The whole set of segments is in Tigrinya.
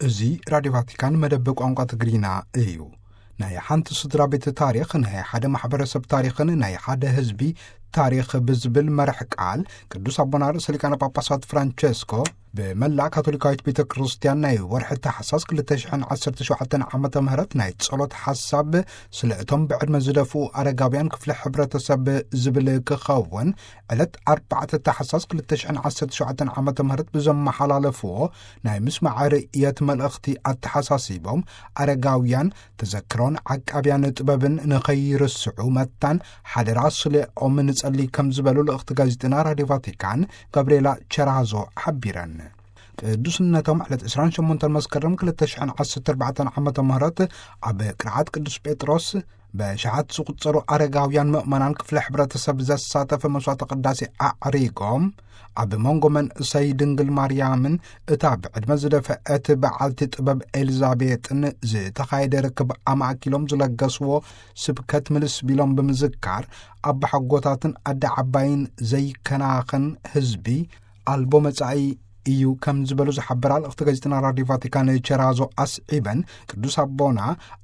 እዚ ራዲዮ ቫቲካን መደብ ቋንቋ ትግርኛ እዩ። ናይ ሓንቲ ስድራ ቤት ታሪኽ፣ ናይ ሓደ ማሕበረሰብ ታሪኽን ናይ ሓደ ህዝቢ ታሪኽ ብዝብል መርሕ ቃል፣ ቅዱስ ኣቦና ርእሰ ሊቃነ ጳጳሳት ፍራንቸስኮ ብመላእ ካቶሊካዊት ቤተ ክርስቲያን ናይ ወርሒ ታሕሳስ ክልተ ሽሕን ዓሰርተ ሸውዓተን ዓመተ ምህረት ናይ ጸሎት ሓሳብ ስለ እቶም ብዕድመ ዝደፍኡ ኣረጋውያን ክፍሊ ሕብረተሰብ ዝብል ክኸውን፣ ዕለት ኣርባዕተ ታሕሳስ ክልተ ሽሕን ዓሰርተ ሸውዓተን ዓመተ ምህረት ብዘመሓላለፍዎ ናይ ምስማዕ ርእየት መልእኽቲ ኣተሓሳሲቦም፣ ኣረጋውያን ተዘክሮን ዓቃብያን ጥበብን ንኸይርስዑ መታን ሓደራ ስሌኦም ንጸሊ ከም ዝበሉ ልእኽቲ ጋዜጥና ራዲዮ ቫቲካን ጋብርኤላ ቸራዞ ሓቢረን። ቅዱስነቶም ዕለት ዕስራን ሸሞንተን መስከረም ክልተ ሽሕን ዓሰርተ ኣርባዕተን ዓመተ ምህረት ኣብ ቅርዓት ቅዱስ ጴጥሮስ በሽሓት ዝቑጸሩ ኣረጋውያን ምእመናን ክፍለ ሕብረተሰብ ዘሳተፈ መስዋዕተ ቅዳሴ ኣዕሪጎም፣ ኣብ መንጎ መንእሰይ ድንግል ማርያምን እታ ብዕድመ ዝደፍአት በዓልቲ ጥበብ ኤልዛቤጥን ዝተኻየደ ርክብ ኣማእኪሎም ዝለገስዎ ስብከት ምልስ ቢሎም ብምዝካር፣ ኣቦሓጎታትን ኣደ ዓባይን ዘይከናኸን ህዝቢ ኣልቦ መጻኢ እዩ ከም ዝበሉ ዝሓበራ ልእኽቲ ጋዜጥና ራዲዮ ቫቲካን ቸራዞ ኣስዒበን፣ ቅዱስ ኣቦና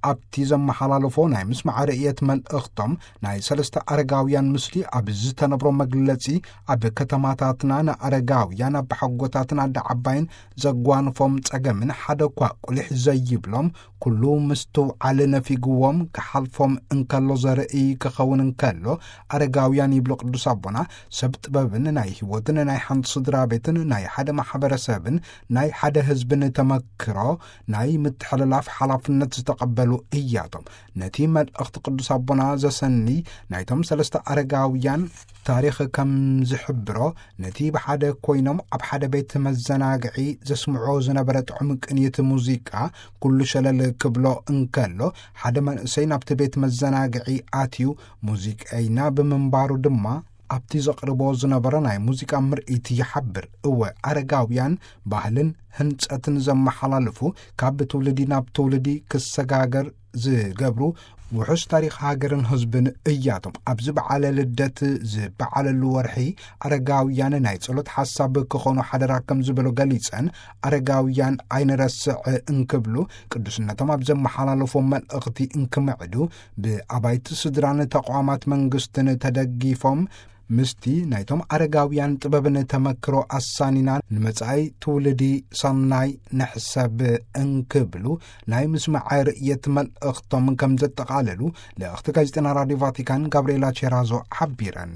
ኣብቲ ዘመሓላለፎ ናይ ምስማዕ ርእየት መልእኽቶም፣ ናይ ሰለስተ ኣረጋውያን ምስሊ ኣብ ዝተነብሮ መግለጺ፣ ኣብ ከተማታትና ንኣረጋውያን ኣቦሓጎታትን ኣደ ዓባይን ዘጓንፎም ጸገምን ሓደ እኳ ቁሊሕ ዘይብሎም፣ ኩሉ ምስትውዓል ነፊግዎም ክሓልፎም እንከሎ ዘርኢ ክኸውን እንከሎ፣ ኣረጋውያን ይብሉ ቅዱስ ኣቦና፣ ሰብ ጥበብን ናይ ህይወትን ናይ ሓንቲ ስድራ ቤትን ናይ ሓደ ማሕበረሰብን ናይ ሓደ ህዝብን ተመክሮ ናይ ምትሕልላፍ ሓላፍነት ዝተቐበሉ እያቶም። ነቲ መልእኽቲ ቅዱስ ኣቦና ዘሰኒ ናይቶም ሰለስተ ኣረጋውያን ታሪኽ ከም ዝሕብሮ፣ ነቲ ብሓደ ኮይኖም ኣብ ሓደ ቤት መዘናግዒ ዘስምዖ ዝነበረ ጥዑም ቅንየት ሙዚቃ ኩሉ ሸለል ክብሎ እንከሎ፣ ሓደ መንእሰይ ናብቲ ቤት መዘናግዒ ኣትዩ፣ ሙዚቀኛ ብምንባሩ ድማ ኣብቲ ዘቕርቦ ዝነበረ ናይ ሙዚቃ ምርኢት ይሓብር። እወ፣ ኣረጋውያን ባህልን ህንጸትን ዘመሓላልፉ፣ ካብ ትውልዲ ናብ ትውልዲ ክሰጋገር ዝገብሩ፣ ውሑስ ታሪኽ ሃገርን ህዝብን እያቶም። ኣብዚ በዓለ ልደት ዝበዓለሉ ወርሒ፣ ኣረጋውያን ናይ ጸሎት ሓሳብ ክኾኑ ሓደራ ከም ዝበሉ ገሊጸን፣ ኣረጋውያን ኣይንረስዕ እንክብሉ፣ ቅዱስነቶም ኣብ ዘመሓላለፎ መልእኽቲ እንክምዕዱ፣ ብኣባይቲ ስድራን ተቋማት መንግስትን ተደጊፎም፣ ምስቲ ናይቶም ኣረጋውያን ጥበብን ተመክሮ ኣሳኒና ንመጻኢ ትውልዲ ሰናይ ንሕሰብ እንክብሉ ናይ ምስማዕ ርእየት መልእኽቶም ከም ዘጠቓለሉ ልእኽቲ ጋዜጠና ራዲዮ ቫቲካን ጋብርኤላ ቼራዞ ሓቢረን።